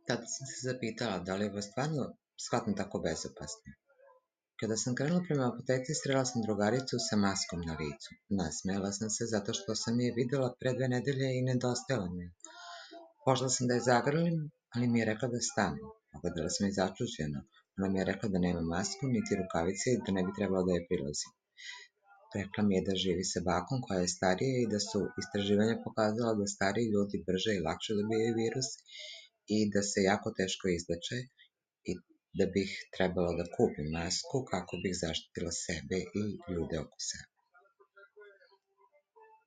Tada sam se zapitala da li je ovo stvarno shvatno tako bezopasno. Kada sam krenula prema apoteci, srela sam drugaricu sa maskom na licu. Nasmejala sam se zato što sam je videla pre 2 nedelje i nedostajala mi je. Pošla sam da je zagrlim, ali mi je rekla da stanem. Pogledala sam je začuđeno. Ona mi je rekla da nema masku, niti rukavice i da ne bi trebalo da je prilazim. Rekla mi je da živi sa bakom koja je starija i da su istraživanja pokazala da stariji ljudi brže i lakše dobijaju virus i da se jako teško izleče i da bih trebalo da kupim masku kako bih zaštitila sebe i ljude oko sebe.